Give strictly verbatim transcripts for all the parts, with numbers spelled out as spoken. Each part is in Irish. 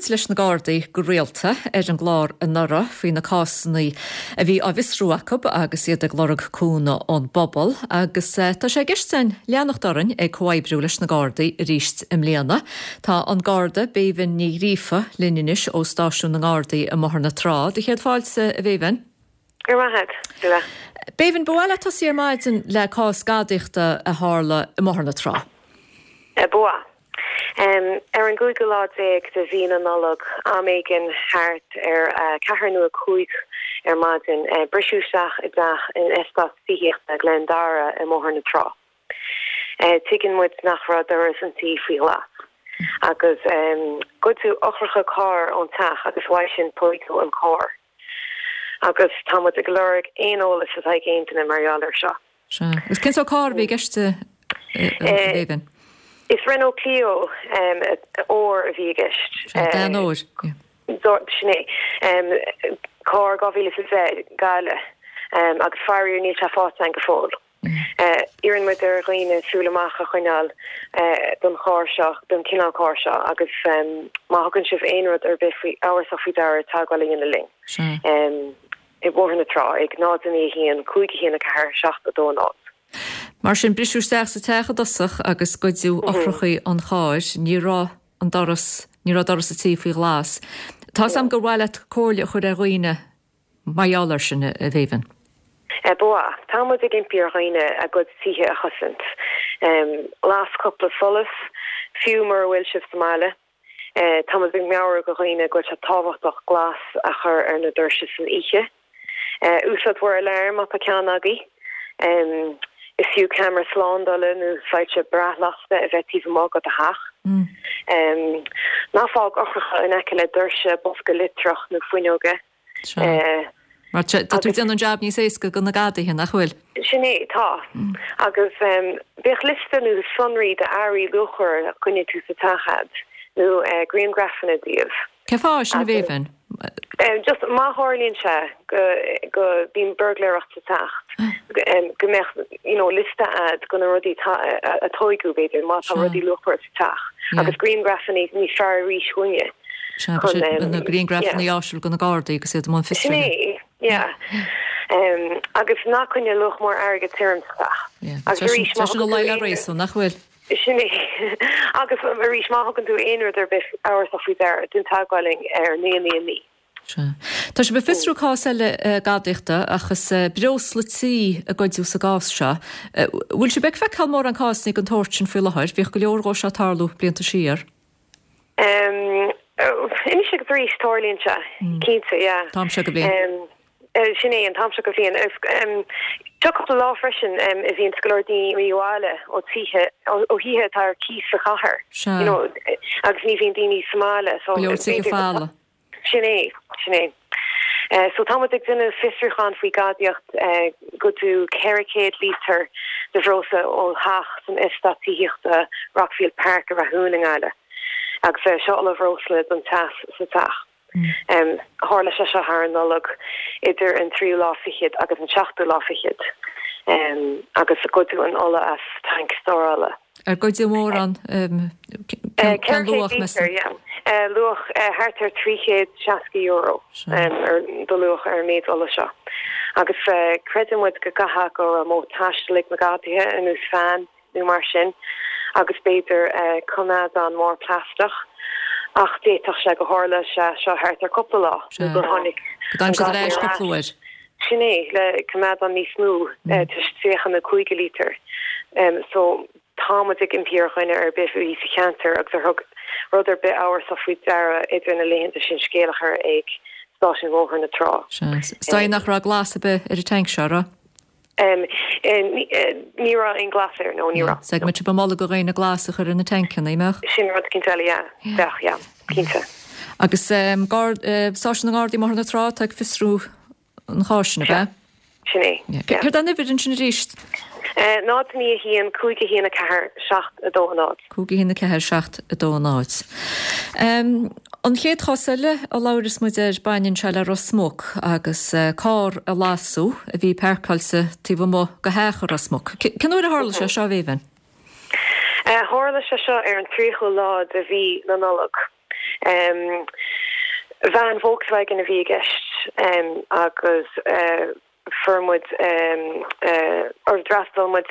muid leis na Gardaí go rialta ar an gclár anuraidh faoi na cásanna a bhí á bhfiosrú acu agus iad ag lorg cúnamh ón bpobal agus eh, tá sé i gceist againn leanacht orainn ag comhoibriú leis na Gardaí arís i mbliana. Tá an Garda Béibhinn Ní Ghríofa linn anois ó stáisiún na nGardaí i mBóthar na Trá. Do chéad fáilte a Bhéibhinn. Go raibh maith. Béibhinn ba mhaith leat tosú ar maidin le cás gadaíochta a tharla i mBóthar na Trá. Ba. Um, ar an gcúigiú lá déag de mhí na Nollag am éigin thart ar uh, ceathair nó a cúig ar maidin uh, briseadh isteach i dteach in eastát tithíochta Glen Dara i mBóthar na Trá. Uh, Tuigeann muid nach raibh doras an tí faoi ghlas. Agus um, goideadh eochracha cairr ón teach agus uaidh sin tógadh an carr. Agus tá muid ag lorg aon eolas atá ag aon duine mar gheall air seo. Sea. Agus cén sórt carr a bhí i gceist Béibhinn? Is Renault Clio um, ór a bhí i gceist. Den ór. Sin é. Um, Carr dhá mhíle is a deich um, agus faraor níl sé faighte go fóill. Uh, Iarrann muid ar dhaoine súil amach a choinneáil uh, don charr seo don cineál carr seo agus um, má thugann sibh aon rud ar bith faoi amhrasach faoi deara teagmháil a dhéanamh linn. Um, i Bóthar na Trá ag náid naoi haon cúig haon a ceathair seacht a dó náid. Mar sin briseadh isteach sa teach i dtosach agus goideadh eochracha an chairr, ní raibh an doras ní raibh doras an tí faoi ghlas. Tá am gur mhaith leat comhairle a chur ar dhaoine mar gheall air sin a Bhéibhinn. E Ba, tá muid ag impí ar dhaoine a gcuid tithe a chosaint. Um, las cúpla solas, fiú mura bhfuil sibh sa mbaile. Uh, tá muid ag meabhrú do dhaoine go bhfuil sé tábhachtach glas a chur ar na doirse san oíche. Uh, úsáid bhur alarm má tá ceann agaibh. Um, is fiú ceamara slándála nó soilse bráthlasta a bheith taobh amuigh de do theach. Mm. Um, ná fág eochracha in aice le doirse bosca litreach nó fuinneoga. Uh, Mar tá tú ag déanamh an jab níos éasca do na gadaithe nach bhfuil. Sin é tá agus um, bíodh liosta nó sonraí de earraí luachmhara a choinnigh tú sa teach agat nó uh, grianghrafanna díobh. Cén fáth sin a Bhéibhinn? Um, just má tharlaíonn sé go go bíonn buirgléireacht sa teach um, go mbeadh you know, liosta agat de na rudaí a tógadh b'fhéidir má tá rudaí luachmhara sa teach agus grianghrafanna níos fearr arís dúinne. Na grianghrafanna áisiúil do na Gardaí agus iad mbun fiosraithe. Yeah. Um, agus ná coinnigh luach mór airgead tirim sa teach. Agus arís má sin le réasún nach bhfuil. Sin é agus arís má thugann tú aon rud ar bith amhrasach faoi deara déan teagmháil linn ar naoi naoi naoi. Tá sibh ag fiosrú cás eile gadaíochta agus breosla tí a goideadh sa gcás seo. Bhfuil sibh ag feiceáil mórán cásanna den tsórt sin faoi láthair, bhíodh go leor dhó seo ag tarlú blianta siar. Um, Anois agus arís tarlaíonn sé cinnte yeah. Tá sé go bliain. Sin é an t-am seo den bhliain. Seo cúpla lá freisin a bhíonn go leor daoine abhaile ó tithe ó thithe atá ar cíos sa chathair. You know, agus ní bhíonn daoine sa mbaile so Go leor fála. Sin é sin é. Uh, so tá ag déanamh fiosrúchán faoi gadaíocht uh, goideadh ceithre chéad lítear de bhreosla ó theach san eastát tithíochta Rockfield Park a Rathún i nGaillimh. Agus uh, seo ola bhreosla don teas sa teach. Mm. Um, tharla sé seo thar an Nollaig idir an tríú lá fichead agus an seachtú lá fichead. Um, agus goideadh an ola as tanc stórála. Ar goideadh mórán cén luach luach thart ar trí chéad seasca euro ar de luach ar méid ola seo. Agus creideann muid go gcaithfidh go raibh modh taistil ag na gadaithe ar nós veain nó mar sin, agus b'fhéidir coimeádán mór plaisteach ach d'fhéadfadh sé gur tharla sé seo thart ar cúpla lá gur tháinig cúpla uair. Sin é le coimeádán níos mó tríocha a cúig lítear. So táimid ag impí ar dhuine ar bith a bhí sa cheantar agus ar thug rud ar bith amhrasach faoi deara idir na laethanta sin scéal a chur ag stáisiún Bhóthar na Trá. Is nach raibh glas ar bith ar an tanc seo ra? Um, ní raibh aon glas air nó ní raibh. Se mu ba mola go réine glas a chur ar na tancanna meach? Sin rud cinnte eile cinnte. Agus um, stáisiún na nGardaí Bóthar na Trá ag fiosrú an cháis sin bheith? Sin é. Céard an uimhir ansin arís? Náid naoi haon cúig haon a ceathair seacht a dó náid. Cúig haon a ceathair seacht a dó náid. Um, an chéad chás eile a labhras muid air baineann sé le Ros Muc agus uh, carr a lasadh a bhí páirceáilte taobh amuigh de theach i Ros Muc. Cén uair a tharla sé seo Bhéibhinn? Uh, tharla sé seo ar an tríochú lá de mhí na Nollag. Veain Volkswagen a bhí i gceist agus fuair muid or d'fhreastail muid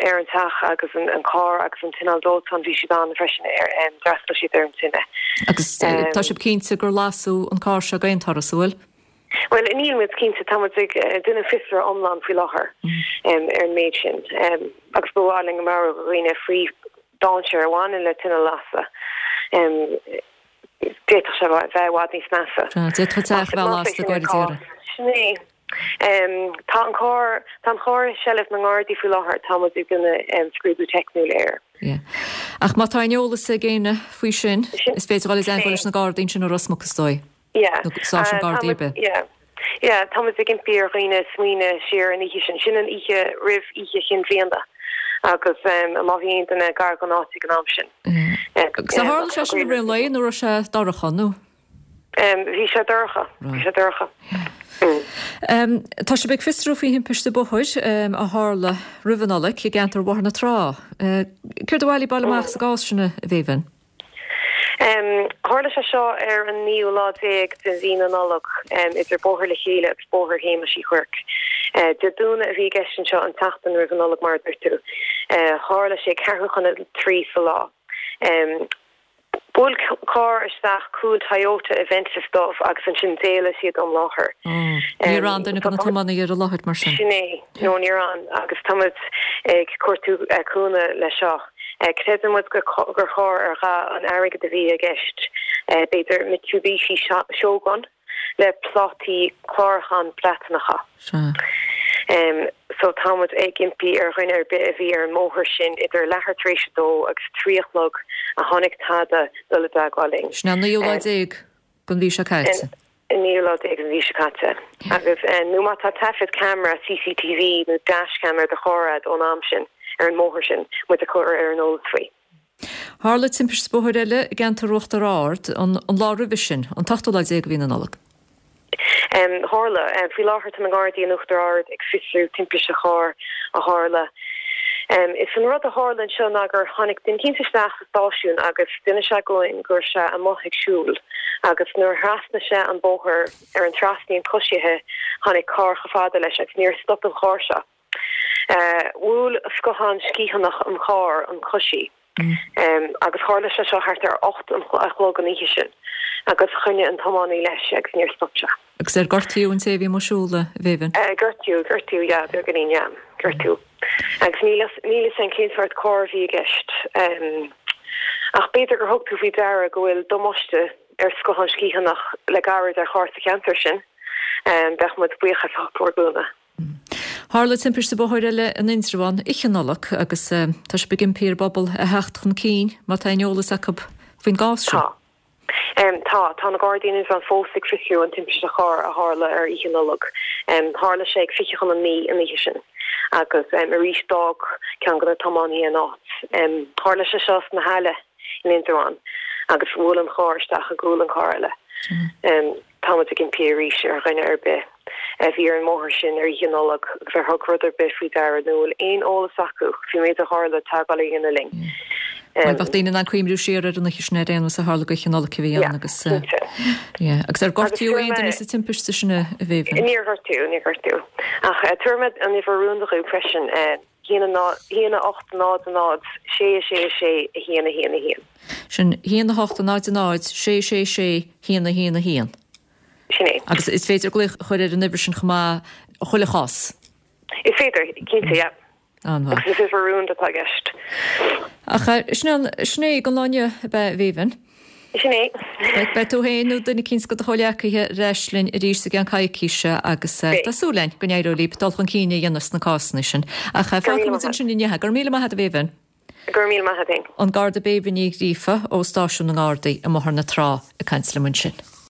ar an teach agus an carr agus an t-inneall dóiteáin bhí siad ann freisin ar d'fhreastail siad ar an tine. Agus tá sibh cinnte gur lasadh an carr seo d'aon turas, an bhfuil? Bhuel, níl muid cinnte, tá muid ag déanamh fiosrú iomlán faoi láthair ar an méid sin agus ba mhaith linn go mbeadh dhaoine faoi dainséar a bhaineann le tine a lasadh. D'fhéadfadh sé bheith i bhfad níos measa. D'fhéadfadh teach a bheith lasta go deireadh. Sin é. Tá an carr tá an carr i seilbh na nGardaí faoi láthair, tá muid ag déanamh scrúdú teicniúil air. Yeah. Ach má tá aon eolas ag éinne faoi sin, is féidir dul i dteagmháil leis na Gardaí ansin i Ros Muc is dóigh. Yeah. Nó stáisiún Gardaí ar bith. Yeah. Yeah, tá muid ag impí ar dhaoine smaoineamh siar an oíche sin. Sin an oíche roimh oíche chinn bhliana agus má bhí aon duine gar don áit ag an am sin. Agus tharla sé sin i rith an lae nó raibh sé dorcha nó? Bhí sé dorcha, bhí sé dorcha. Tá sibh ag fiosrú faoi thimpiste bóthair a tharla roimh an Nollaig i gceantar Bhóthar na Trá. Céard a bhailigh baile amach sa gcás sin, a Bhéibhinn? Tharla sé seo ar an naoú lá déag de mhí na Nollag idir Bóthar le Chéile agus Bóthar Shéamais Uí Chuirc. Dé Domhnaigh a bhí i gceist anseo, an tseachtain roimh an Nollaig mar a dúirt tú. Tharla sé ceathrú chun a trí sa lá. Bhuail carr isteach cúl Toyota Avensis dubh agus ansin d'éalaigh siad ón láthair. Níor fhan duine de na tiománaithe ar an láthair mar sin? Sin é. No, níor fhan agus tá muid ag cuartú cúnamh leis seo. Creideann muid gur charr ar dhath an airgid a bhí i gceist, b'fhéidir Mitsubishi Shogun le plátaí clárúcháin Breatanacha. Sea. So tá muid ag impí ar dhuine ar bith a bhí ar an mbóthar sin idir leathuair tar éis a dó agus trí a chlog a chonaic tada dul i dteagmháil linn. Sin an naoú lá déag den mhí seo caite. An naoú lá déag den mhí seo caite. Agus nó má tá taifead ceamara C C T V nó dashcam ar do charr agat ón am sin ar an mbóthar sin, muid a chur ar an eolas faoi. Tharla timpiste bóthair eile i gceantar Uachtar Ard an lá roimhe sin, an t-ochtú lá déag de mhí na Nollag. Tharla. Faoi láthair tá na Gardaí in Uachtar Ard ag fiosrú timpiste chairr a tharla. Is an rud a tharla anseo ná gur tháinig duine eicínt isteach sa stáisiún agus d'inis sé dúinn go raibh sé amuigh ag siúl agus nuair a thrasnaigh sé an bóthar ar an trasnaíonn coisithe tháinig carr chomh fada leis agus níor stop an carr seo. Bhuail scothán sciathánach an chairr an coisí. Agus tharla sé seo thart ar ocht a chlog an oíche sin agus choinnigh an tiománaí leis agus níor stop sé. Agus ar gortaíodh an té a bhí amuigh ag siúl, a Bhéibhinn? Gortaíodh, gortaíodh, yeah, beagáinín, yeah, gortaíodh. Agus níl a fhios againn cén sórt carr a bhí i gceist. Ach b'fhéidir gur thug tú faoi deara go bhfuil damáiste ar scothán sciathánach le gairid ar charr sa cheantar sin. Bheadh muid buíoch as ucht bhur gcúnamh. Tharla timpiste bóthair eile in Indreabhán oíche Nollag agus tá sibh ag impí ar an bpobal a theacht chun cinn má tá aon eolas acu faoin gcás seo. Tá. Tá. Tá na Gardaí in Indreabhán fós ag fiosrú an timpiste chairr a tharla ar oíche Nollag. Tharla sé ag fiche chun a naoi an oíche sin agus arís d'fhág ceann de na tiománaithe an áit. Tharla sé seo sna hAille in Indreabhán agus bhuail an carr isteach i gcúl an carr eile. Tá muid ag impí arís ar dhuine ar bith a bhí ar an mbóthar sin ar Oíche Nollag agus ar thug rud ar bith faoi deara nó a bhfuil aon eolas acu faoin méid a tharla teagmháil a dhéanamh linn. Bhuel, bheadh daoine in ann cuimhniú siar ar an oíche sin ar aon nós a tharla go Oíche Nollag a bhí ann agus yeah. Agus ar gortaíodh aon duine sa timpiste sin a Bhéibhinn? Níor gortaíodh, níor gortaíodh. Ach tabharfaidh mé an uimhir rúnda dhaoibh freisin, haon a hocht náid náid sé sé sé a haon a haon a haon. Sin haon a hocht náid náid sé sé sé haon a haon a haon. Sin é. Agus is féidir glaoch a chur ar an uimhir sin chomh maith chuile chás. Is féidir, cinnte, yeah. An-mhaith. Agus is uimhir rúnda atá i gceist. Ach sin sin é don lá inniu, ab ea, a Bhéibhinn? Sin é. Beidh tú féin nó duine eicínt de do chomhghleacaithe ar ais linn arís i gceann coicíse agus tá súil againn go n-éireoidh libh dul chun cinn a dhéanamh sna cásanna sin. Ach fágfaidh muid ansin inniu. Go raibh míle maith agat, a Bhéibhinn. Go raibh míle maith agat féin. An Garda Béibhinn Ní Ghríofa ó Stáisiún na nGardaí i mBóthar na Trá ag caint liom ansin.